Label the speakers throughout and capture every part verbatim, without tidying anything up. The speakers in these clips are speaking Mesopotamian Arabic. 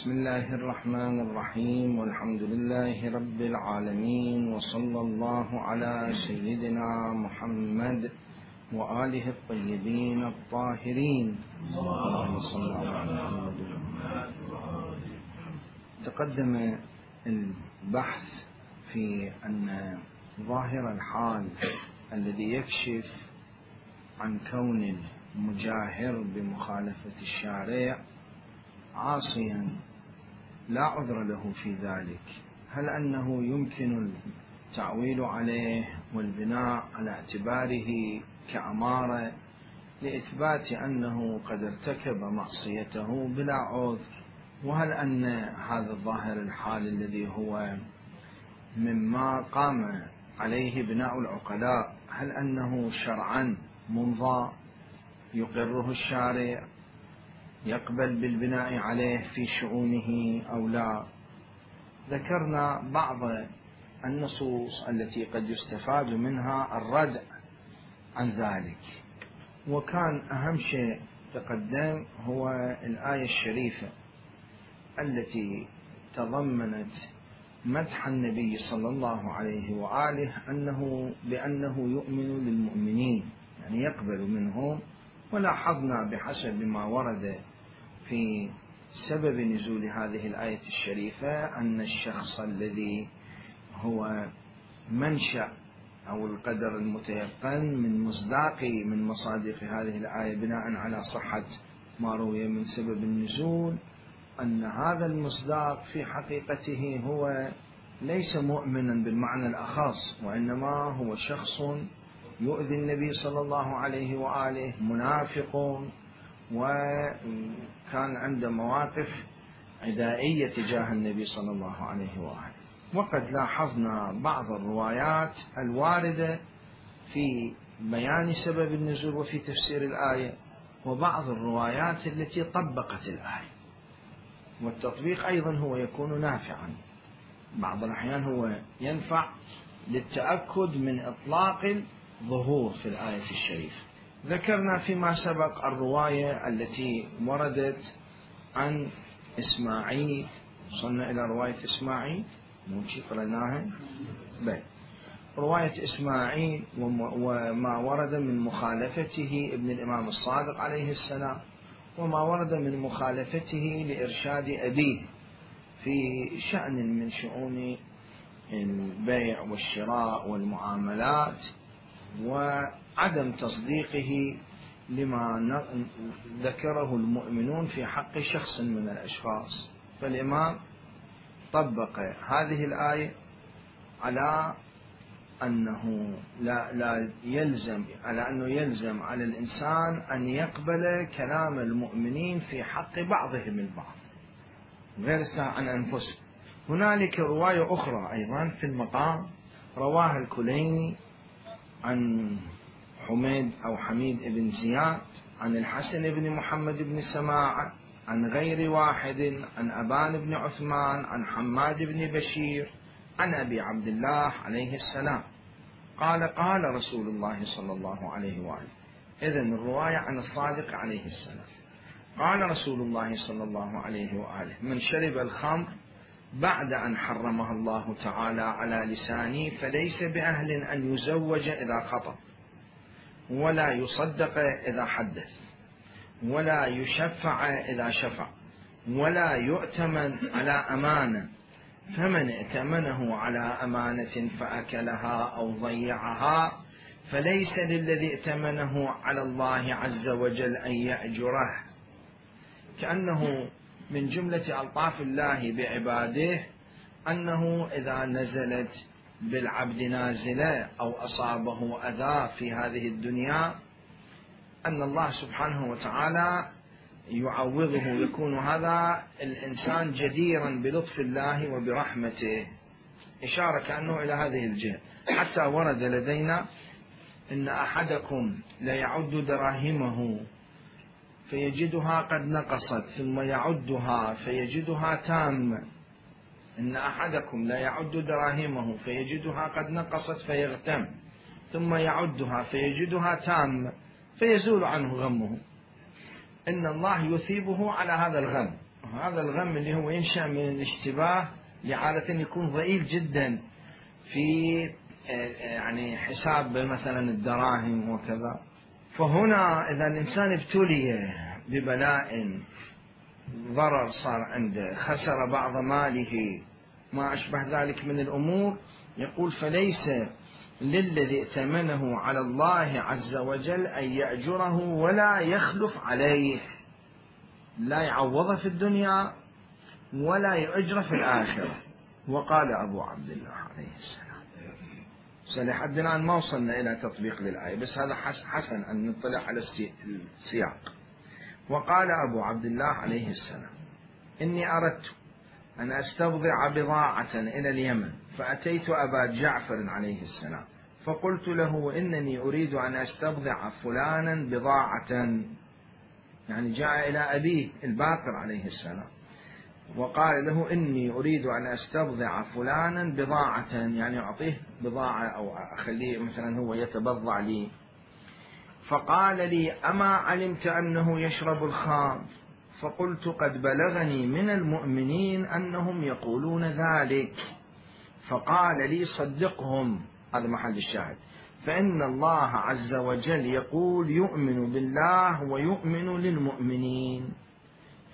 Speaker 1: بسم الله الرحمن الرحيم، والحمد لله رب العالمين، وصلى الله على سيدنا محمد وآله الطيبين الطاهرين. اللهم صل على محمد. تقدم البحث في أن ظاهر الحال الذي يكشف عن كون المجاهر بمخالفة الشارع عاصيا لا عذر له في ذلك، هل أنه يمكن التعويل عليه والبناء على اعتباره كأمارة لإثبات أنه قد ارتكب معصيته بلا عذر؟ وهل أن هذا الظاهر الحال الذي هو مما قام عليه بناء العقلاء هل أنه شرعا منضى يقره الشارع يقبل بالبناء عليه في شؤونه أو لا؟ ذكرنا بعض النصوص التي قد يستفاد منها الردع عن ذلك، وكان أهم شيء تقدم هو الآية الشريفة التي تضمنت مدح النبي صلى الله عليه وآله أنه بأنه يؤمن للمؤمنين، يعني يقبل منهم. ولاحظنا بحسب ما ورد في سبب نزول هذه الآية الشريفة أن الشخص الذي هو منشأ أو القدر المتيقن من مصداق من مصادق هذه الآية بناء على صحة ما روي من سبب النزول، أن هذا المصداق في حقيقته هو ليس مؤمنا بالمعنى الأخص، وإنما هو شخص يؤذي النبي صلى الله عليه وآله، منافق، وكان عنده مواقف عدائية تجاه النبي صلى الله عليه وآله. وقد لاحظنا بعض الروايات الواردة في بيان سبب النزول وفي تفسير الآية، وبعض الروايات التي طبقت الآية، والتطبيق أيضا هو يكون نافعا، بعض الأحيان هو ينفع للتأكد من إطلاق الظهور في الآية الشريفة. ذكرنا فيما سبق الرواية التي وردت عن إسماعيل، وصلنا إلى رواية إسماعيل موشي قرأناها بل رواية إسماعيل وما ورد من مخالفته ابن الإمام الصادق عليه السلام، وما ورد من مخالفته لإرشاد أبيه في شأن من شؤون البيع والشراء والمعاملات، وعدم تصديقه لما ذكره المؤمنون في حق شخص من الأشخاص. فالإمام طبق هذه الآية على أنه لا, لا يلزم على أنه يلزم على الإنسان أن يقبل كلام المؤمنين في حق بعضهم البعض غير عن أنفسهم. هنالك رواية أخرى أيضا في المقام رواها الكليني عن حميد أو حميد بن زياد عن الحسن بن محمد بن سماعة عن غير واحد عن أبان بن عثمان عن حماد بن بشير عن أبي عبد الله عليه السلام قال قال رسول الله صلى الله عليه وآله. إذن الرواية عن الصادق عليه السلام. قال رسول الله صلى الله عليه وآله: من شرب الخمر بعد أن حرمها الله تعالى على لسانه فليس بأهل أن يزوج إذا خطب، ولا يصدق إذا حدث، ولا يشفع إذا شفع، ولا يؤتمن على أمانة، فمن ائتمنه على أمانة فأكلها أو ضيعها فليس للذي ائتمنه على الله عز وجل أن يأجره. كأنه من جملة ألطاف الله بعباده أنه إذا نزلت بالعبد نازلة أو أصابه أذى في هذه الدنيا أن الله سبحانه وتعالى يعوضه، يكون هذا الإنسان جديرا بلطف الله وبرحمته، إشارة كأنه إلى هذه الجهة. حتى ورد لدينا إن أحدكم ليعد دراهمه فيجدها قد نقصت ثم يعدها فيجدها تامة، إن أحدكم لا يعد دراهمه فيجدها قد نقصت فيغتم ثم يعدها فيجدها تامة فيزول عنه غمه. إن الله يثيبه على هذا الغم، هذا الغم اللي هو ينشأ من الاشتباه اللي عادة يكون ضئيل جدا في يعني حساب مثلا الدراهم وكذا. فهنا إذا الإنسان ابتلي ببلاء، ضرر صار عنده، خسر بعض ماله، ما أشبه ذلك من الأمور، يقول فليس للذي ائتمنه على الله عز وجل أن يأجره ولا يخلف عليه، لا يعوضه في الدنيا ولا يؤجره في الآخرة. وقال أبو عبد الله عليه السلام، لحد الآن ما وصلنا إلى تطبيق للآية، بس هذا حسن أن نطلع على السياق. وقال أبو عبد الله عليه السلام إني أردت أن أستبضع بضاعة إلى اليمن، فأتيت أبا جعفر عليه السلام فقلت له إنني أريد أن أستبضع فلانا بضاعة، يعني جاء إلى أبيه الباقر عليه السلام وقال له إني أريد أن أستبضع فلانا بضاعة، يعني أعطيه بضاعة أو أخليه مثلا هو يتبضع لي. فقال لي أما علمت أنه يشرب الخمر؟ فقلت قد بلغني من المؤمنين أنهم يقولون ذلك. فقال لي صدقهم، هذا محل الشاهد، فإن الله عز وجل يقول يؤمن بالله ويؤمن للمؤمنين.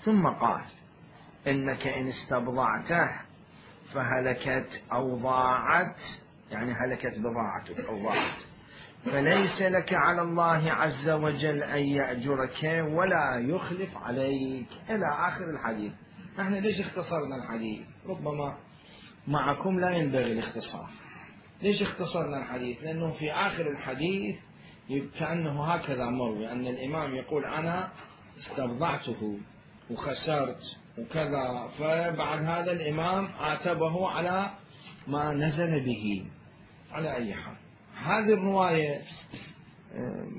Speaker 1: ثم قال إنك إن استبضعته فهلكت أو ضاعت، يعني هلكت بضاعتك أو ضاعت، فليس لك على الله عز وجل أن يأجرك ولا يخلف عليك، إلى آخر الحديث. نحن ليش اختصرنا الحديث؟ ربما معكم لا ينبغي الاختصار. ليش اختصرنا الحديث؟ لأنه في آخر الحديث كأنه هكذا مروي أن الإمام يقول أنا استبضعته وخسرت وكذا، فبعد هذا الإمام عاتبه على ما نزل به. على أي حال هذه الرواية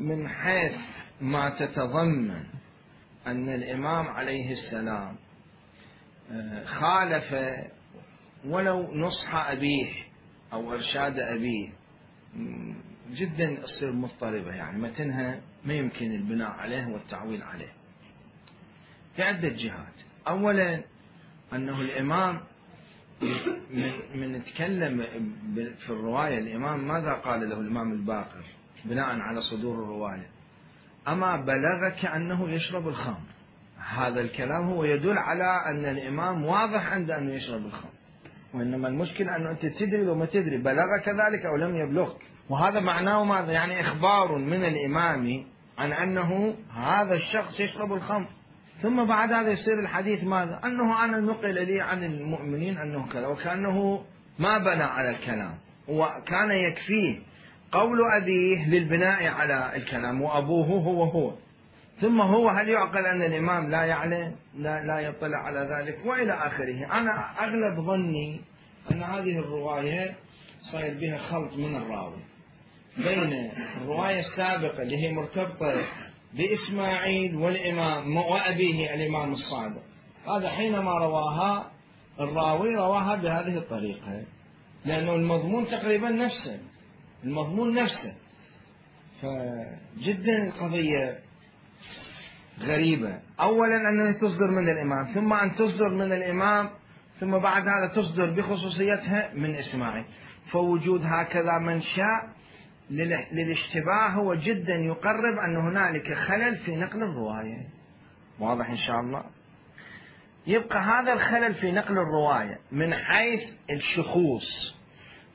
Speaker 1: من حيث ما تتضمن أن الإمام عليه السلام خالف ولو نصح أبيه أو إرشاد أبيه جدا تصير مضطربة، يعني متنها ما يمكن البناء عليه والتعويل عليه في عدة جهات. أولا أنه الإمام من, من نتكلم في الرواية، الإمام ماذا قال له الإمام الباقر بناء على صدور الرواية؟ أما بلغك أنه يشرب الخمر. هذا الكلام هو يدل على أن الإمام واضح عنده أنه يشرب الخمر، وإنما المشكلة أنه أنت تدري لو ما تدري، بلغك ذلك أو لم يبلغك. وهذا معناه ماذا؟ يعني إخبار من الإمام عن أنه هذا الشخص يشرب الخمر. ثم بعد هذا يصير الحديث ماذا؟ أنه أنا نقل لي عن المؤمنين أنه كذا، وكأنه ما بنى على الكلام، وكان يكفيه قول أبيه للبناء على الكلام، وأبوه هو هو. ثم هو هل يعقل أن الإمام لا يعلم، لا, لا يطلع على ذلك وإلى آخره. أنا أغلب ظني أن هذه الرواية صاير بها خلط من الراوي بين الرواية السابقة اللي هي مرتبطة بإسماعيل والإمام وأبيه الإمام الصادق، هذا حينما رواها الراوي رواها بهذه الطريقة، لأنه المضمون تقريبا نفسه، المضمون نفسه. فجدا القضية غريبة. أولا أنها تصدر من الإمام، ثم أن تصدر من الإمام، ثم بعد هذا تصدر بخصوصيتها من إسماعيل. فوجود هكذا منشأ للاشتباه هو جدا يقرب أن هنالك خلل في نقل الرواية. واضح إن شاء الله؟ يبقى هذا الخلل في نقل الرواية من حيث الشخوص،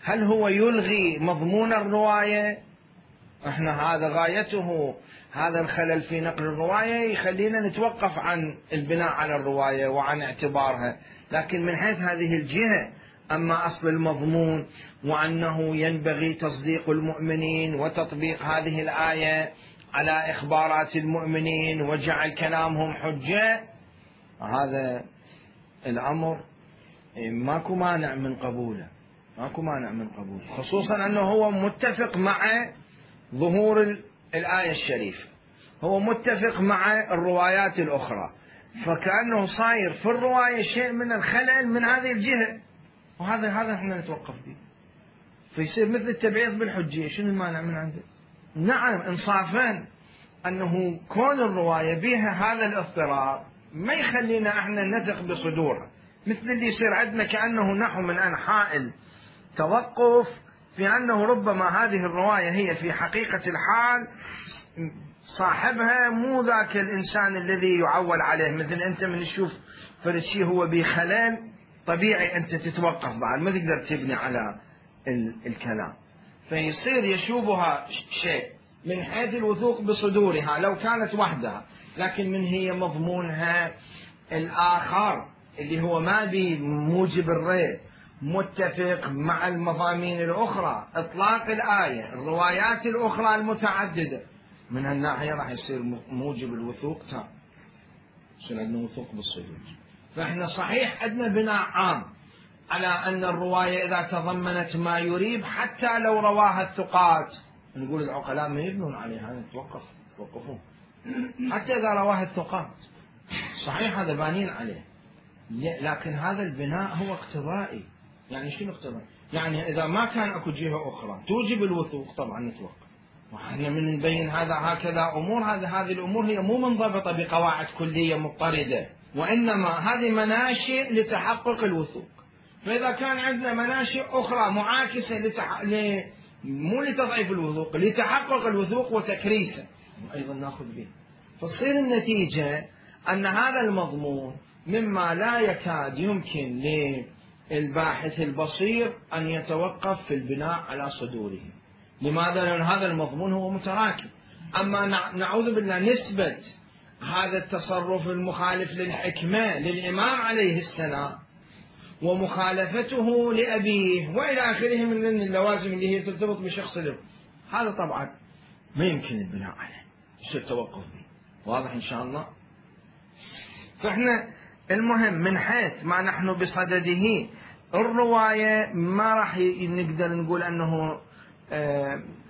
Speaker 1: هل هو يلغي مضمون الرواية؟ احنا هذا غايته، هذا الخلل في نقل الرواية يخلينا نتوقف عن البناء على الرواية وعن اعتبارها. لكن من حيث هذه الجهة، أما أصل المضمون وأنه ينبغي تصديق المؤمنين وتطبيق هذه الآية على إخبارات المؤمنين وجعل كلامهم حجة، هذا الأمر ماكو مانع من قبوله، ماكو مانع من قبوله، خصوصا أنه هو متفق مع ظهور الآية الشريفة، هو متفق مع الروايات الأخرى، فكأنه صاير في الرواية شيء من الخلل من هذه الجهة، وهذا هذا احنا نتوقف به. فيصير مثل التبعيض بالحجية. شنو المانع من عنده؟ نعم إنصافا أنه كون الرواية بها هذا الاضطراب ما يخلينا احنا نثق بصدورها، مثل اللي يصير عندنا كأنه نحو من أنحاء التوقف في أنه ربما هذه الرواية هي في حقيقة الحال صاحبها مو ذاك الإنسان الذي يعول عليه. مثل أنت من تشوف فرد شيء هو بخلل طبيعي أنت تتوقف بعد، ما تقدر تبني على الكلام، فيصير يشوبها شيء من حيث الوثوق بصدورها لو كانت وحدها، لكن من هي مضمونها الآخر اللي هو ما بموجب الريب متفق مع المضامين الأخرى، إطلاق الآية، الروايات الأخرى المتعددة، من هالناحية راح يصير موجب الوثوق تام، يصير عندنا وثوق بالصدور. فإحنا صحيح عندنا بناء عام على أن الرواية إذا تضمنت ما يريب حتى لو رواها الثقات، نقول العقلاء ما يبنون عليها، نتوقف توقفون حتى إذا رواها الثقات صحيح هذا بانين عليه، لكن هذا البناء هو اقتضائي. يعني شنو اقتضائي؟ يعني إذا ما كان أكو جهة أخرى توجب الوثوق طبعا نتوقف، وإحنا من نبين هذا هكذا أمور، هذا هذه الأمور هي مو منضبطة بقواعد كلية مضطردة، وإنما هذه مناشئ لتحقق الوثوق. فإذا كان عندنا مناشئ أخرى معاكسة لتح... ل... مو لتضعيف الوثوق، لتحقق الوثوق وتكريسه أيضا نأخذ به، فتصير النتيجة أن هذا المضمون مما لا يكاد يمكن للباحث البصير أن يتوقف في البناء على صدوره. لماذا؟ لأن هذا المضمون هو متراكم. أما نعوذ بالله نسبة هذا التصرف المخالف للحكمة للإمام عليه السلام ومخالفته لأبيه وإلى آخره من اللوازم اللي هي ترتبط بشخص له، هذا طبعا ما يمكن البناء عليه، يصير التوقف به. واضح إن شاء الله؟ فإحنا المهم من حيث ما نحن بصدده الرواية ما راح نقدر نقول أنه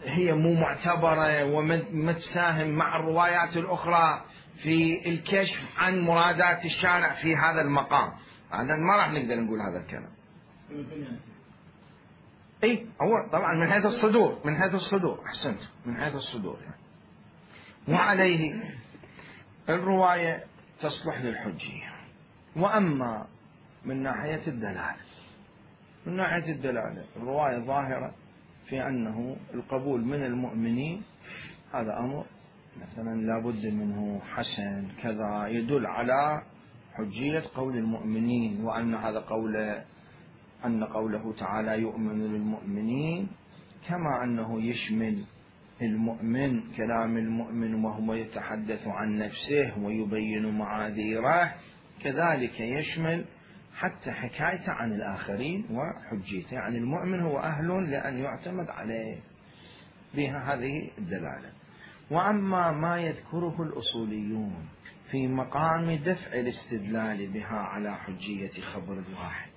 Speaker 1: هي مو معتبرة وما تساهم مع الروايات الأخرى في الكشف عن مرادات الشارع في هذا المقام، هذا ما راح نقدر نقول هذا الكلام. اي هو طبعا من حيث الصدور، من حيث الصدور احسنت، من حيث الصدور يعني. وعليه الرواية تصلح للحجية. وأما من ناحية الدلالة، من ناحية الدلالة الرواية ظاهرة في أنه القبول من المؤمنين هذا أمر مثلا لابد منه حسن كذا، يدل على حجية قول المؤمنين، وأن هذا قول أن قوله تعالى يؤمن للمؤمنين كما أنه يشمل المؤمن كلام المؤمن وهو يتحدث عن نفسه ويبين معاذيره، كذلك يشمل حتى حكايته عن الآخرين وحجيته، يعني المؤمن هو أهل لأن يعتمد عليه بها هذه الدلالة. وأما ما يذكره الأصوليون في مقام دفع الاستدلال بها على حجية خبر الواحد،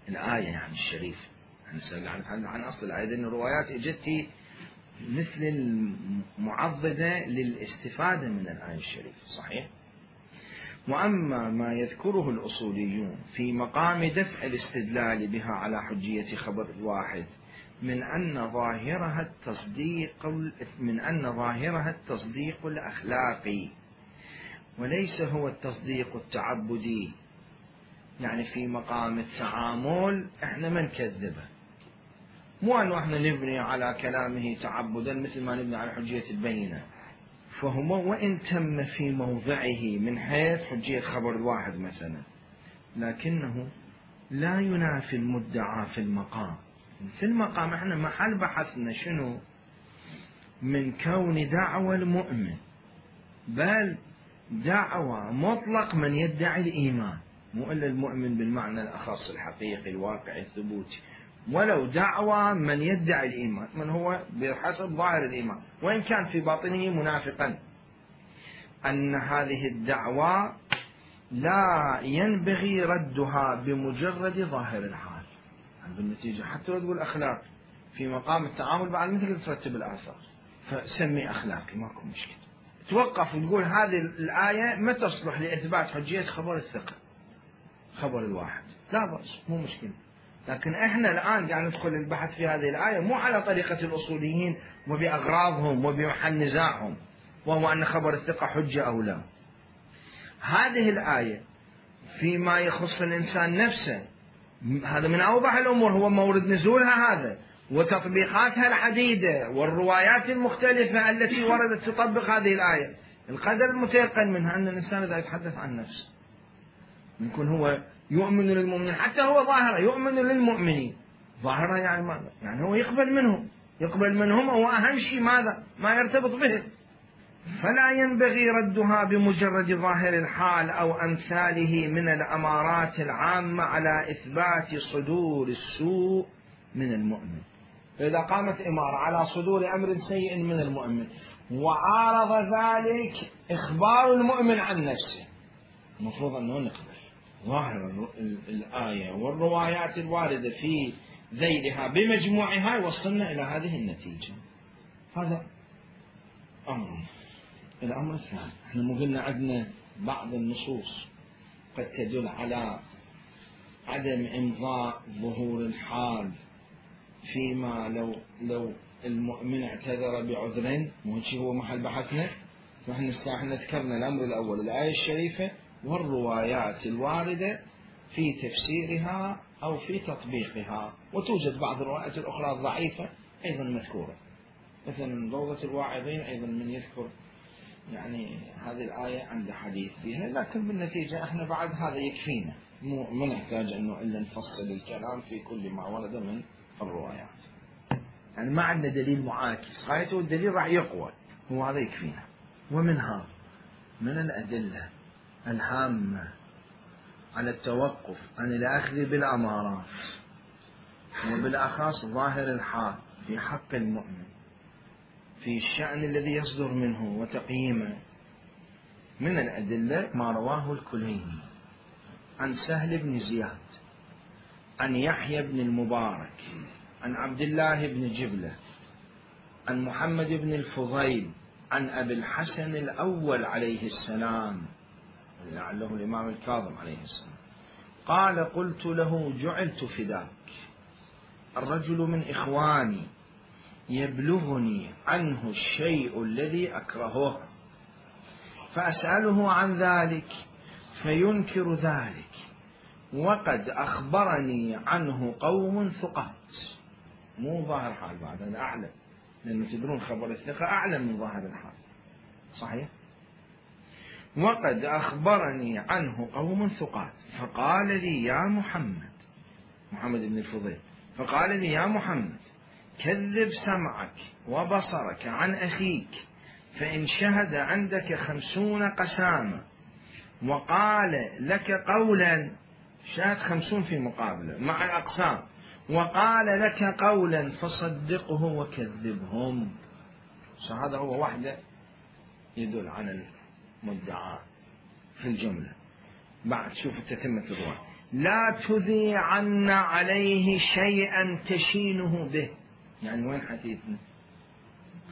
Speaker 1: الآية يعني الشريف، نسأل عن أصل الآية، أن الروايات اجت مثل المعضدة للاستفادة من الآية الشريفة صحيح. وأما ما يذكره الأصوليون في مقام دفع الاستدلال بها على حجية خبر الواحد من أن ظاهرها التصديق من أن ظاهرها التصديق الأخلاقي وليس هو التصديق التعبدي، يعني في مقام التعامل احنا ما نكذبه، مو أنه احنا نبني على كلامه تعبدا مثل ما نبني على حجية البينة، فهو وإن تم في موضعه من حيث حجية خبر الواحد مثلا، لكنه لا ينافي المدعى في المقام. في المقام احنا محل بحثنا شنو؟ من كون دعوى المؤمن، بل دعوى مطلق من يدعي الإيمان، مو إلا المؤمن بالمعنى الأخص الحقيقي الواقعي الثبوتي، ولو دعوى من يدعي الإيمان من هو بحسب ظاهر الإيمان وإن كان في باطنه منافقا، أن هذه الدعوى لا ينبغي ردها بمجرد ظاهر الحال، بالنتيجة حتى لو تقول أخلاق في مقام التعامل بعد مثل ترتب الآثار فسمي أخلاقي ماكو مشكلة، توقف وتقول هذه الآية ما تصلح لإثبات حجية خبر الثقة خبر الواحد، لا بأس مو مشكلة. لكن احنا الآن قاعد ندخل البحث في هذه الآية مو على طريقة الأصوليين وبأغراضهم وبمحل نزاعهم، وهو أن خبر الثقة حجة أو لا. هذه الآية فيما يخص الإنسان نفسه هذا من أوضح الأمور، هو مورد نزولها هذا وتطبيقاتها العديدة والروايات المختلفة التي وردت تطبق هذه الآية. القدر المتيقن منها أن الإنسان إذا يتحدث عن نفسه يكون هو يؤمن للمؤمنين، حتى هو ظاهرة يؤمن للمؤمنين، ظاهرة يعني ماذا؟ يعني هو يقبل منهم، يقبل منهم هو أهم شيء ماذا؟ ما يرتبط به. فلا ينبغي ردها بمجرد ظاهر الحال أو أمثاله من الأمارات العامة على إثبات صدور السوء من المؤمن. فإذا قامت إمارة على صدور أمر سيء من المؤمن وعارض ذلك إخبار المؤمن عن نفسه، المفروض أنه نقبل ظاهر الآية والروايات الواردة في ذيلها بمجموعها يوصلنا إلى هذه النتيجة. هذا أمر. الأمر الثاني، احنا مو قلنا عندنا بعض النصوص قد تدل على عدم إمضاء ظهور الحال فيما لو لو المؤمن اعتذر بعذر، مو هو محل بحثنا. فاحنا احنا ذكرنا الأمر الأول الآية الشريفة والروايات الواردة في تفسيرها أو في تطبيقها، وتوجد بعض الروايات الأخرى الضعيفة أيضا مذكورة، مثلا روضة الواعظين أيضا من يذكر يعني هذه الآية عند حديث فيها، لكن بالنتيجة احنا بعد هذا يكفينا، مو ما نحتاج انه الا نفصل الكلام في كل ما ورد من الروايات. يعني ما عندنا دليل معاكس، غايته الدليل راح يقوى، هو هذا يكفينا. ومنها من الأدلة الهامة على التوقف عن الأخذ بالأمارات وبالأخص ظاهر الحال في حق المؤمن في الشأن الذي يصدر منه وتقييمه. من الأدلة ما رواه الكليني عن سهل بن زياد عن يحيى بن المبارك عن عبد الله بن جبلة عن محمد بن الفضيل عن أبي الحسن الأول عليه السلام لعله الإمام الكاظم عليه السلام قال: قلت له: جعلت فداك، الرجل من إخواني يبلغني عنه الشيء الذي أكرهه فأسأله عن ذلك فينكر ذلك، وقد أخبرني عنه قوم ثقات. مو ظاهر حال بعد، هذا أعلم، لأنه تدرون خبر الثقة أعلم من ظاهر الحال، صحيح؟ وقد أخبرني عنه قوم ثقات فقال لي: يا محمد، محمد بن الفضيل، فقال لي: يا محمد، كذب سمعك وبصرك عن أخيك، فإن شهد عندك خمسون قسامة وقال لك قولا، شهد خمسون في مقابله مع الأقسام، وقال لك قولا فصدقه وكذبهم. هذا هو وحده يدل على المدعى في الجملة. بعد شوف تتمة الرواية: لا تذيعن عليه شيئا تشينه به. يعني وين حديثنا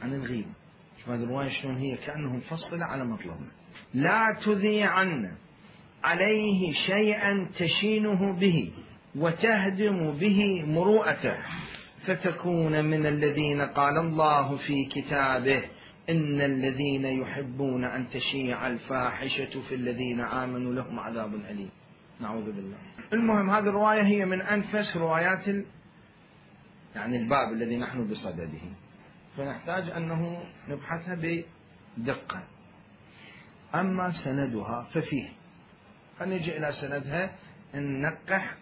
Speaker 1: عن الغيبة؟ شوف هذه الرواية شلون هي كأنه مفصلة على مطلبنا. لا تذيعن عليه شيئا تشينه به وتهدم به مروءته فتكون من الذين قال الله في كتابه: إن الذين يحبون أن تشيع الفاحشة في الذين آمنوا لهم عذاب أليم. نعوذ بالله. المهم هذه الرواية هي من أنفس روايات ال... يعني الباب الذي نحن بصدده، فنحتاج أنه نبحثها بدقة. أما سندها ففيه، فنجي إلى سندها ننقح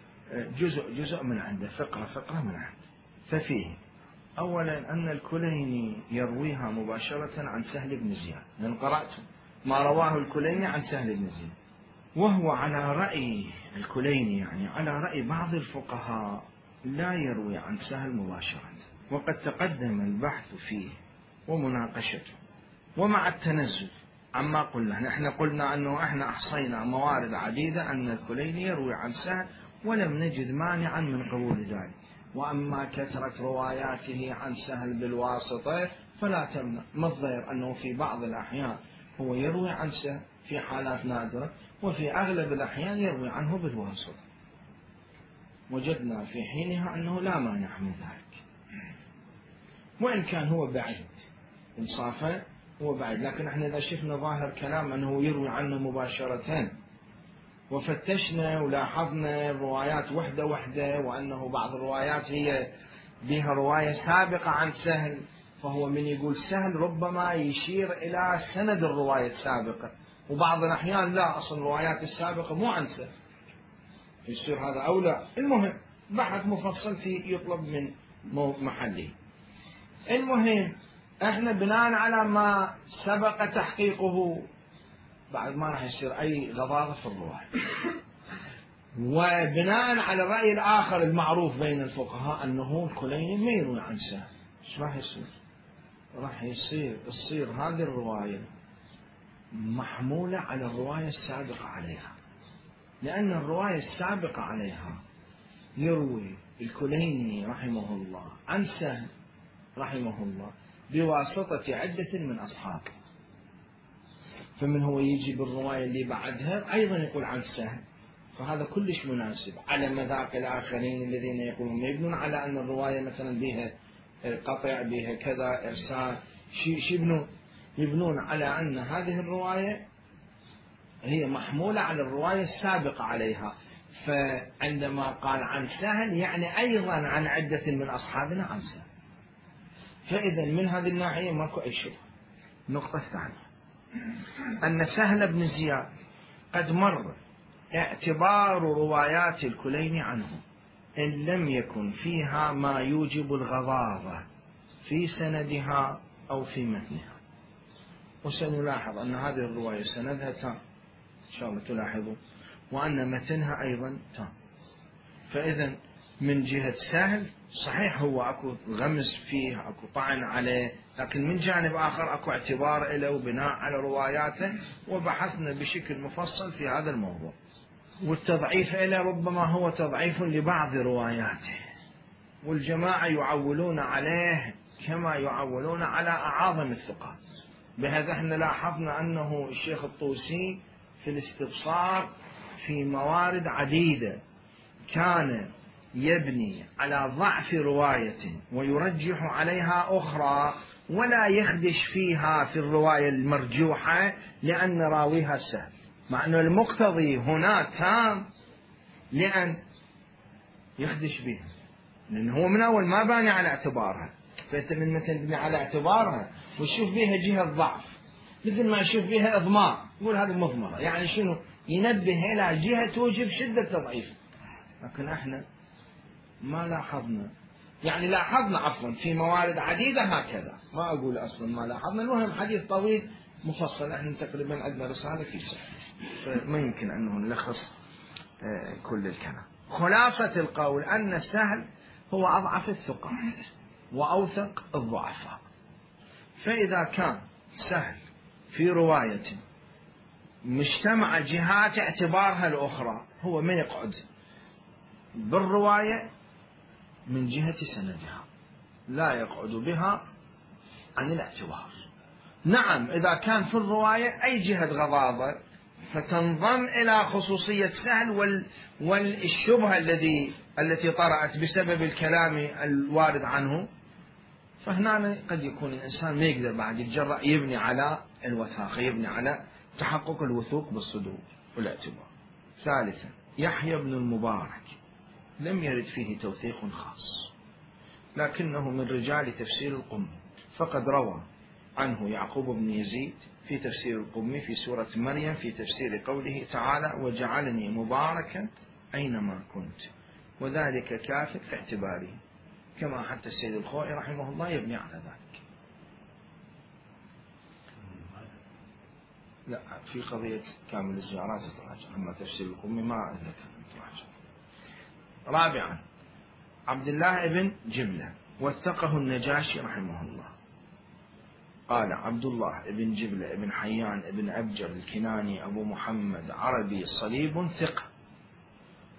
Speaker 1: جزء جزء من عنده، فقرة فقرة من عنده. ففيه أولا أن الكليني يرويها مباشرة عن سهل بن زياد، لأن قرأت ما رواه الكليني عن سهل بن زياد، وهو على رأي الكليني يعني على رأي بعض الفقهاء لا يروي عن سهل مباشرة، وقد تقدم البحث فيه ومناقشته. ومع التنزل عما قلنا، نحن قلنا أنه احنا أحصينا موارد عديدة أن الكليني يروي عن سهل ولم نجد مانعا من قبول ذلك. وأما كثرة رواياته عن سهل بالواسطة فلا تمنع، ما الضير أنه في بعض الأحيان هو يروي عن سهل في حالات نادرة، وفي أغلب الأحيان يروي عنه بالواسطة. وجدنا في حينها أنه لا مانع من ذلك، وإن كان هو بعيد إنصافا، هو بعيد. لكن احنا إذا شفنا ظاهر كلام أنه يروي عنه مباشرة وفتشنا ولاحظنا الروايات وحدة وحدة، وأنه بعض الروايات هي بها رواية سابقة عن سهل، فهو من يقول سهل ربما يشير إلى سند الرواية السابقة، وبعض الأحيان لا، أصل الروايات السابقة مو عن سهل، يصير هذا أو لا. المهم بحث مفصل في يطلب من محله. المهم احنا بناء على ما سبق تحقيقه بعد ما راح يصير أي غضاضة في الرواية، وبناء على الرأي الآخر المعروف بين الفقهاء أنه الكليني ما يروي عن سهل، ايش راح يصير؟ راح يصير تصير هذه الرواية محمولة على الرواية السابقة عليها، لأن الرواية السابقة عليها يروي الكليني رحمه الله عن سهل رحمه الله بواسطة عدة من أصحابه، فمن هو يجي بالرواية اللي بعدها أيضا يقول عن سهل، فهذا كلش مناسب على مذاق الآخرين الذين يقولون يبنون على أن الرواية مثلا بها قطع بها كذا إرسال، شو يبنون؟ يبنون على أن هذه الرواية هي محمولة على الرواية السابقة عليها، فعندما قال عن سهل يعني أيضا عن عدة من أصحابنا عن سهل، فإذا من هذه الناحية ماكو أي شيء. النقطة الثانية أن سهل بن زياد قد مر اعتبار روايات الكليني عنه إن لم يكن فيها ما يوجب الغضاضة في سندها أو في متنها، وسنلاحظ أن هذه الرواية سندها تام إن شاء الله تلاحظوا، وأن متنها أيضا تام. فإذا من جهة سهل صحيح هو أكو غمز فيه أكو طعن عليه، لكن من جانب آخر أكو اعتبار له وبناء على رواياته، وبحثنا بشكل مفصل في هذا الموضوع. والتضعيف له ربما هو تضعيف لبعض رواياته، والجماعة يعولون عليه كما يعولون على أعاظم الثقات. بهذا احنا لاحظنا أنه الشيخ الطوسي في الاستبصار في موارد عديدة كان يبني على ضعف رواية ويرجح عليها أخرى، ولا يخدش فيها في الرواية المرجوحة لأن راويها سهل، مع أن المقتضي هنا تام لأن يخدش بها، لأن هو من أول ما باني على اعتبارها، فأنت من مثل تبني على اعتبارها ويشوف بها جهة ضعف، مثل ما يشوف بها إضمار يقول هذه مضمرة، يعني شنو؟ ينبه إلى جهة توجب شدة تضعيف. لكن احنا ما لاحظنا، يعني لاحظنا عفوا في موارد عديدة هكذا، ما أقول أصلا ما لاحظنا. المهم حديث طويل مفصل، احنا تقريبا عندنا رسالة في سهل، فما يمكن أنه نلخص كل الكلام. خلاصة القول أن سهل هو أضعف الثقات وأوثق الضعفاء، فإذا كان سهل في رواية مجتمع جهات اعتبارها الأخرى، هو ما يقعد بالرواية من جهة سندها، لا يقعد بها عن الاعتبار. نعم إذا كان في الرواية أي جهة غضاضة فتنضم إلى خصوصية سهل وال والشبهة الذي التي طرأت بسبب الكلام الوارد عنه، فهنا قد يكون الإنسان ما يقدر بعد يتجرأ يبني على الوثاقة، يبني على تحقق الوثوق بالصدور والاعتبار. ثالثا يحيى بن المبارك لم يرد فيه توثيق خاص، لكنه من رجال تفسير القمي، فقد روى عنه يعقوب بن يزيد في تفسير القمي في سورة مريم في تفسير قوله تعالى وجعلني مباركا أينما كنت، وذلك كافٍ في اعتباره، كما حتى السيد الخوئي رحمه الله يبني على ذلك. لا في قضية كامل الزيارات تراجع، أما تفسير القمي ما أذكر تراجع. رابعا عبد الله بن جبلة وثقه النجاشي رحمه الله، قال عبد الله بن جبلة بن حيان بن أبجر الكناني أبو محمد عربي صليب ثقة،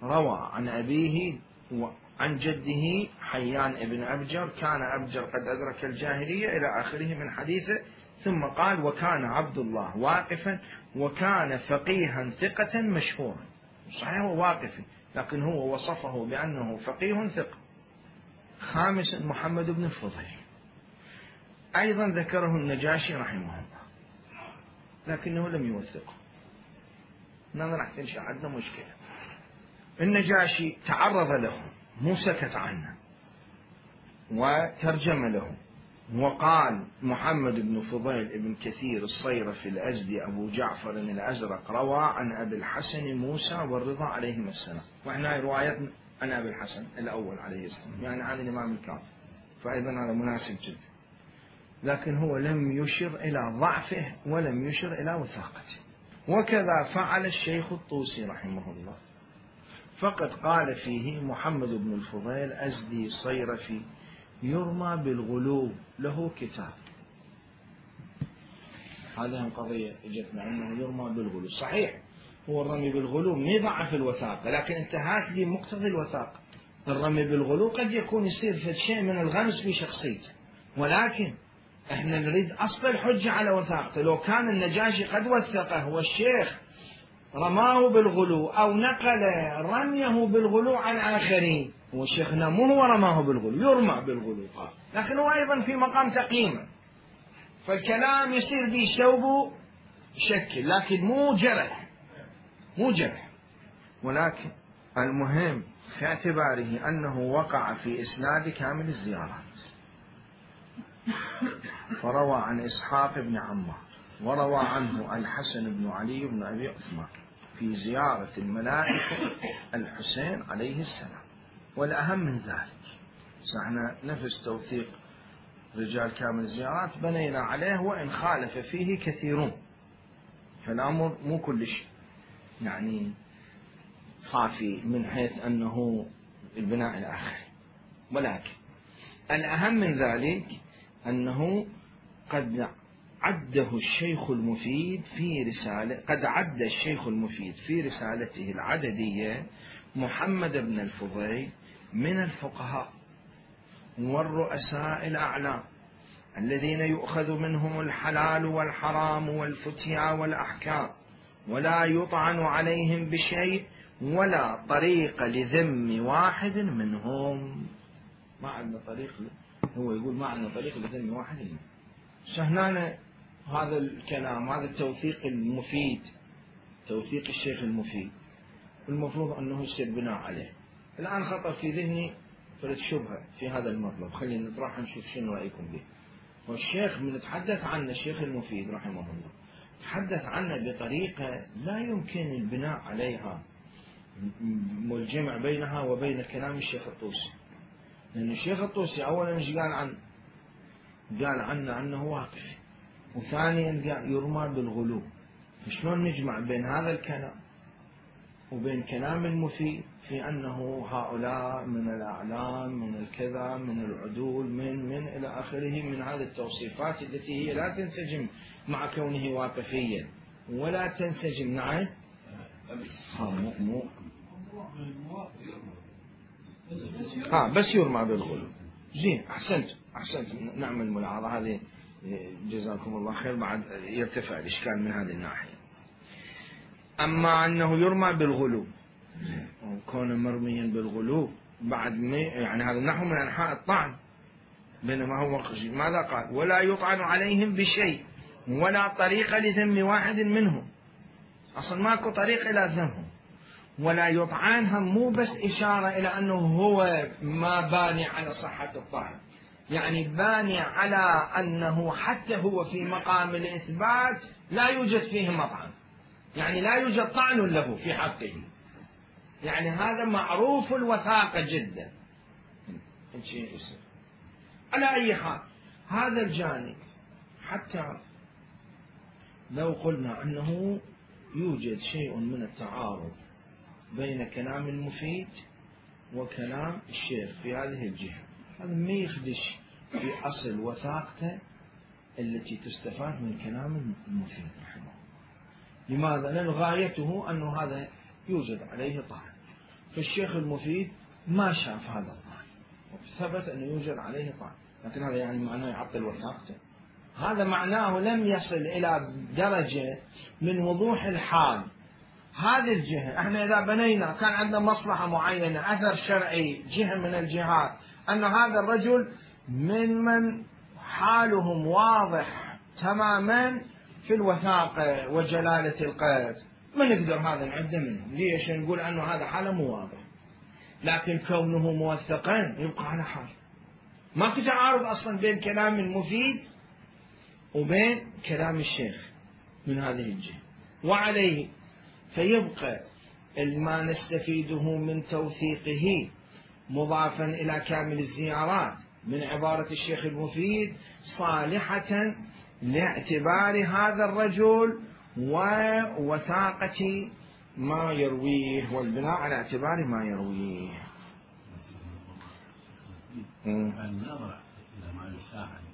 Speaker 1: روى عن أبيه وعن جده حيان بن أبجر، كان أبجر قد أدرك الجاهلية إلى آخره من حديثه، ثم قال وكان عبد الله واقفا وكان فقيها ثقة مشهورا. صحيح هو واقف لكن هو وصفه بأنه فقيه ثقة. خامسا محمد بن الفضيل أيضا ذكره النجاشي رحمه الله، لكنه لم يوثقه. هنا راح تنشأ عندنا مشكلة. النجاشي تعرض له، مو سكت عنه وترجم له، وقال محمد بن فضيل بن كثير الصيرفي الأزدي أبو جعفر الأزرق روى عن أبي الحسن موسى والرضا عليهما السلام. وإحنا روايتنا عن أبي الحسن الأول عليه السلام، يعني عن الإمام الكاظم، فأيضا هذا مناسب جدا. لكن هو لم يشر إلى ضعفه ولم يشر إلى وثاقته. وكذا فعل الشيخ الطوسي رحمه الله، فقد قال فيه محمد بن الفضيل أزدي صيرفي يرمى بالغلو، له كتاب. هذه القضية اجتنا أنه يرمى بالغلو. صحيح هو الرمي بالغلو ما يضعف الوثاقة، لكن انتهت لي مقتضى الوثاقة. الرمي بالغلو قد يكون يصير في شيء من الغمس في شخصيته، ولكن احنا نريد أصل الحجة على وثاقته. لو كان النجاشي قد وثقه والشيخ رماه بالغلو أو نقل رميه بالغلو عن آخرين، والشيخ هنا مو هو رماه بالغلو، يرمى بالغلو قال، لكن هو أيضا في مقام تقييمه، فالكلام يصير به شوب شكل، لكن مو جرح، مو جرح. ولكن المهم في اعتباره أنه وقع في إسناد كامل الزيارات، فروى عن إسحاق بن عمار، وروى عنه الحسن بن علي بن أبي عثمان في زيارة الملائكة الحسين عليه السلام. والأهم من ذلك، سعنا نفس توثيق رجال كامل الزيارات بنينا عليه، وإن خالف فيه كثيرون، فالأمر مو كل شيء يعني صافي من حيث أنه البناء إلى آخره. ولكن الأهم من ذلك أنه قد عده الشيخ المفيد في رسالة قد عد الشيخ المفيد في رسالته العددية محمد بن الفضيل من الفقهاء والرؤساء الأعلام الذين يؤخذ منهم الحلال والحرام والفتيا والأحكام، ولا يطعن عليهم بشيء ولا طريق لذم واحد منهم. ما عندنا طريق، هو يقول ما عندنا طريق لذم واحد منهم. سهنانا هذا الكلام، هذا التوثيق المفيد، توثيق الشيخ المفيد، المفروض أنه يصير بناء عليه. الآن خطر في ذهني فلت شبهة في هذا المطلب، خلينا نطرح نشوف شنو رأيكم به. والشيخ من نتحدث عنه الشيخ المفيد رحمه الله تحدث عنه بطريقة لا يمكن البناء عليها والجمع بينها وبين كلام الشيخ الطوسي. لأن الشيخ الطوسي أولا مش قال عن قال عنه أنه واقف، وثانيا يرمى بالغلو. شلون نجمع بين هذا الكلام وبين كلام المفيد في أنه هؤلاء من الأعلام من الكذا من العدول من من إلى آخره من هذه التوصيفات التي هي لا تنسجم مع كونه واقفيا ولا تنسجم معه. ها مو مو ها بس يرمى بالغلو. زين، أحسنت أحسنت نعمل ملاحظة هذه، جزاكم الله خير. بعد يرتفع الإشكال من هذه الناحية. أما أنه يرمى بالغلو، كون مرميا بالغلو بعد يعني هذا نحو من أنحاء الطعن، بينما هو ماذا قال؟ ولا يطعن عليهم بشيء ولا طريق لذم واحد منهم. أصلا ماكو طريق إلى ذمهم. ولا يطعنهم مو بس إشارة إلى أنه هو ما باني على صحة الطعن، يعني باني على أنه حتى هو في مقام الإثبات لا يوجد فيه مطعن، يعني لا يوجد طعن له في حقه، يعني هذا معروف الوثاقة جدا. على أي حال هذا الجانب، حتى لو قلنا أنه يوجد شيء من التعارض بين كلام المفيد وكلام الشيخ في هذه الجهة، هذا ما يخدش في أصل وثاقته التي تستفاد من كلام المفيد رحمه. لماذا؟ لأن غايته أنه هذا يوجد عليه طعن، فالشيخ المفيد ما شاف هذا الطعن وثبت أنه يوجد عليه طعن، لكن هذا يعني معناه يعطل وثاقته؟ هذا معناه لم يصل إلى درجة من وضوح الحال. هذه الجهة احنا إذا بنينا كان عندنا مصلحة معينة، أثر شرعي، جهة من الجهات، أن هذا الرجل من من حالهم واضح تماما في الوثاقة وجلالة القدر ما نقدر هذا نعده منهم. ليش؟ نقول أنه هذا حاله مو واضح، لكن كونه موثقا يبقى على حال. ما في تعارض أصلا بين كلام المفيد وبين كلام الشيخ من هذه الجهة. وعليه فيبقى ما نستفيده من توثيقه مضافا إلى كامل الزيارات من عبارة الشيخ المفيد صالحة لاعتبار هذا الرجل ووثاقة ما يرويه والبناء على اعتبار ما يرويه.
Speaker 2: النظر إلى ما يساعد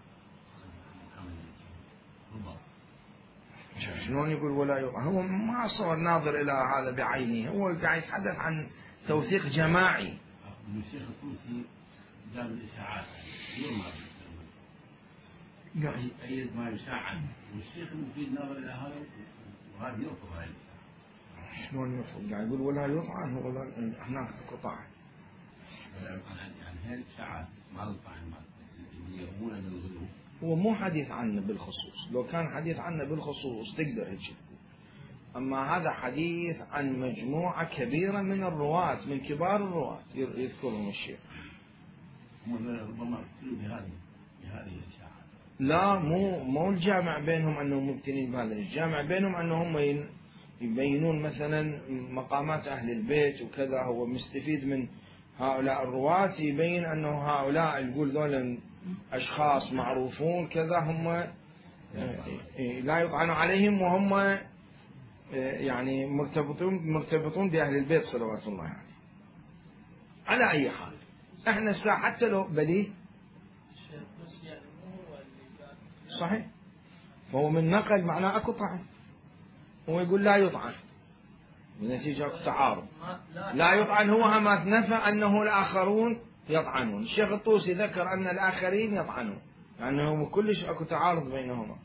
Speaker 1: شلون يقول ولا يقع؟ هو ما صار ناظر إلى هذا بعينه، هو قاعد يتحدث عن توثيق جماعي.
Speaker 2: الشيخ الطوسي جاب الإشاعات يوم
Speaker 1: يعني
Speaker 2: أيد ما يساعد، والشيخ المفيد ناظر إلى هذا وهذا يرفض هذا الإشاعة.
Speaker 1: شلون يرفض؟ قاعد يقول ولا يطعن، هو هناك قطع.
Speaker 2: يعني هذه الإشاعات ما تطعن اللي يرمون بالغلو.
Speaker 1: هو مو حديث عنه بالخصوص، لو كان حديث عنه بالخصوص تقدر هيك، أما هذا حديث عن مجموعة كبيرة من الرواة، من كبار الرواة يذكرهم الشيخ.
Speaker 2: ربما يقتلوا بهذه بهذه الإشاعات.
Speaker 1: لا، مو مو الجامع بينهم أنهم مبتلين بهذا، الجامع بينهم أنهم يبينون مثلا مقامات أهل البيت وكذا. هو مستفيد من هؤلاء الرواة، يبين أنه هؤلاء يقول ذولا أشخاص معروفون كذا هم لا يطعن عليهم، وهم يعني مرتبطون مرتبطون بأهل البيت صلوات الله عليه. يعني. على أي حال احنا الساعة حتى لو بليه صحيح، فهو من نقل معناه اكو طعن، هو يقول لا يطعن بنتيجة اكو تعارض. لا يطعن هو أما نفى أنه الآخرون يطعنون. الشيخ الطوسي ذكر أن الآخرين يطعنون، يعني هو كلش اكو تعارض بينهما.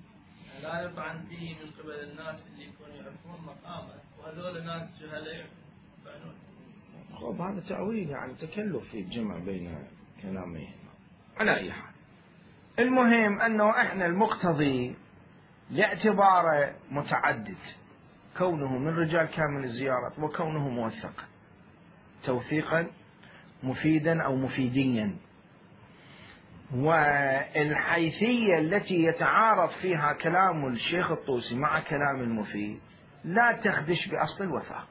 Speaker 3: لا يطعن فيه من قبل الناس اللي يكونوا يعرفون مقامه، وهذول الناس جهلاء يطعنون.
Speaker 1: خب هذا تأويل، يعني تكلف في الجمع بين كلامين. على أي حال المهم أنه إحنا المقتضي لاعتباره متعدد، كونه من رجال كامل الزيارات وكونه موثقا توثيقا مفيدا أو مفيديا، والحيثية التي يتعارض فيها كلام الشيخ الطوسي مع كلام المفيد لا تخدش بأصل الوثاق.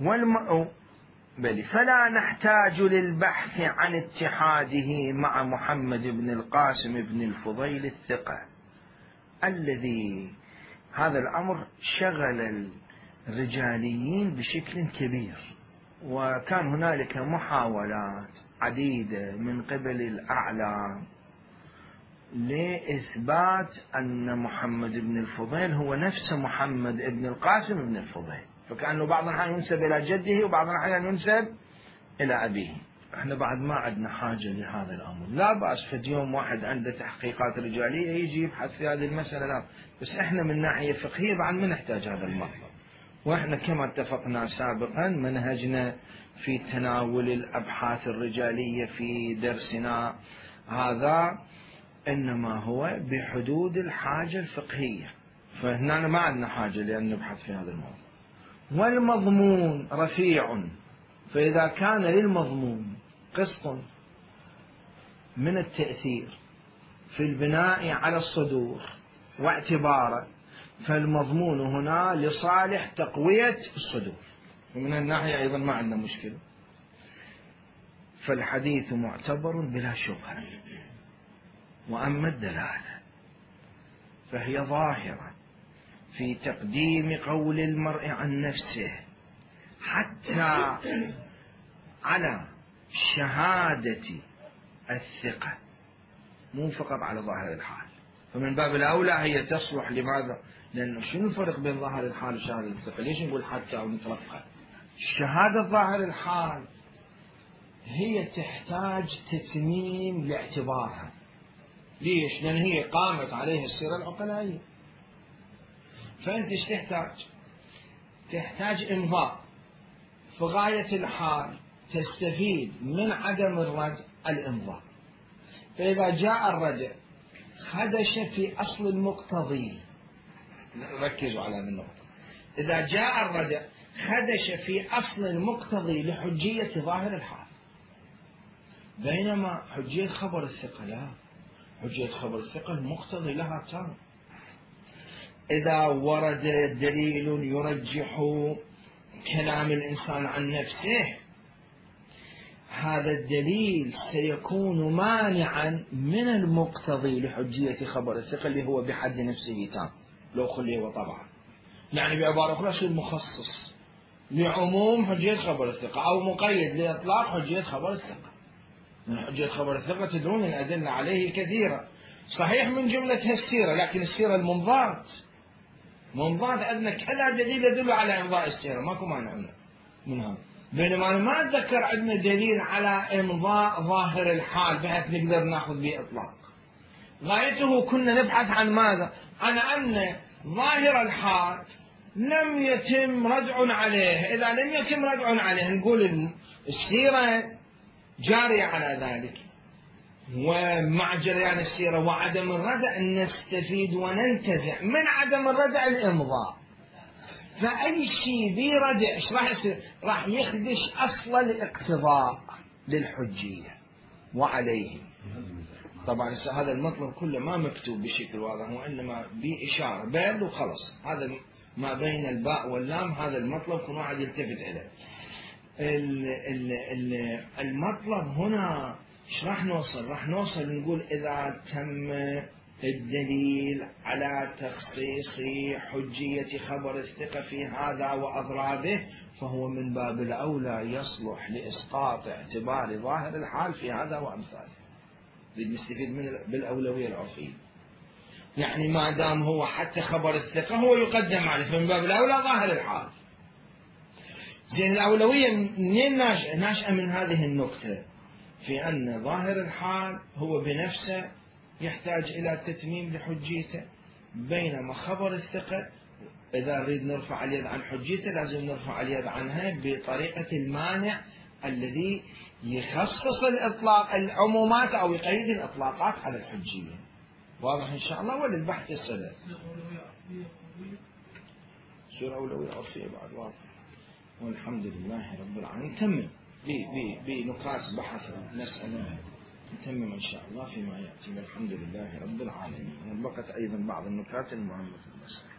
Speaker 1: والم... بل فلا نحتاج للبحث عن اتحاده مع محمد بن القاسم بن الفضيل الثقة الذي هذا الأمر شغل الرجاليين بشكل كبير، وكان هنالك محاولات عديدة من قبل الأعلام لإثبات أن محمد بن الفضيل هو نفس محمد بن القاسم بن الفضيل، فكأنه بعض الأحيان ينسب إلى جده وبعض الأحيان ينسب إلى أبيه. احنا بعد ما عندنا حاجة لهذا الأمر، لا بأس في يوم واحد عنده تحقيقات رجالية يجي يبحث في هذه المسألة، لا، بس احنا من ناحية فقهية بعد ما نحتاج هذا المطلب. واحنا كما اتفقنا سابقا منهجنا في تناول الأبحاث الرجالية في درسنا هذا إنما هو بحدود الحاجة الفقهية، فهنا ما عندنا حاجة لأن نبحث في هذا الموضوع. والمضمون رفيع، فإذا كان للمضمون قسط من التأثير في البناء على الصدور واعتباره، فالمضمون هنا لصالح تقوية الصدور، ومن الناحية أيضا ما عندنا مشكلة. فالحديث معتبر بلا شبهة. وأما الدلالة فهي ظاهرة في تقديم قول المرء عن نفسه حتى على شهادة الثقة، مو فقط على ظاهر الحال. فمن باب الأولى هي تصلح. لماذا؟ لأنه شنو الفرق بين ظاهر الحال وشهادة الثقة؟ ليش نقول حتى أو نترفع؟ شهادة ظاهر الحال هي تحتاج تتميم لاعتبارها. ليش؟ لأن هي قامت عليها السيرة العقلائية. فأنت ايش تحتاج؟ تحتاج إمضاء في غاية الحال تستفيد من عدم الرجع الإمضاء. فإذا جاء الرجع خدش في أصل المقتضي. ركزوا على هذه النقطة. إذا جاء الردع خدش في أصل المقتضي لحجية ظاهر الحال، بينما حجية خبر الثقة لا، حجية خبر الثقة المقتضي لها تام. إذا ورد دليل يرجح كلام الإنسان عن نفسه، هذا الدليل سيكون مانعا من المقتضي لحجية خبر الثقة اللي هو بحد نفسه تام لو خلي وطبعا. يعني بعبارة أخرى شيء مخصص لعموم حجية خبر الثقة، أو مقيد لإطلاق حجية خبر الثقة. من حجية خبر الثقة تدرون الأدلة عليه كثيرة، صحيح من جملتها السيرة، لكن السيرة المنضات منضات عندنا كذا دليل يدل على إمضاء السيرة، ماكو مانع منها. بينما أنا ما أتذكر عندنا دليل على إمضاء ظاهر الحال بحيث نقدر نأخذ به إطلاق. غايته كنا نبحث عن ماذا؟ عن أن ظاهر الحال لم يتم ردع عليه. إذا لم يتم ردع عليه نقول السيرة جارية على ذلك، ومع جريان السيرة وعدم الردع نستفيد وننتزع من عدم الردع الإمضاء. فأي شيء ذي ردع ايش راح يصير؟ راح يخدش أصل الاقتضاء للحجية وعليه. طبعا هذا المطلب كله ما مكتوب بشكل واضح، وإنما بإشارة بين وخلص. هذا ما بين الباء واللام، هذا المطلب كل واحد يلتفت إليه. المطلب هنا ايش راح نوصل؟ راح نوصل نقول إذا تم الدليل على تخصيص حجية خبر الثقة في هذا وأضرابه، فهو من باب الأولى يصلح لإسقاط اعتبار ظاهر الحال في هذا وأمثاله. بنستفيد من بالأولوية العرفية. يعني ما دام هو حتى خبر الثقة هو يقدم عليه، فمن باب الأولى ظاهر الحال. زين الأولوية منين ناشئة؟ ناشئة من هذه النقطة، في أن ظاهر الحال هو بنفسه يحتاج إلى تتميم لحجيته، بينما خبر الثقة إذا نريد نرفع اليد عن حجيته لازم نرفع اليد عنها بطريقة المانع الذي يخصص الإطلاق العمومات أو يقيد الإطلاقات على الحجية. واضح إن شاء الله؟ وللبحث السلف سورة أولوية عرفية بعد واضح. والحمد لله رب العالمين. نتمم بنقاط بحث مسألة، نتمم إن شاء الله فيما يأتي. والحمد لله رب العالمين. وبقت أيضا بعض النكات المهمة في المسألة.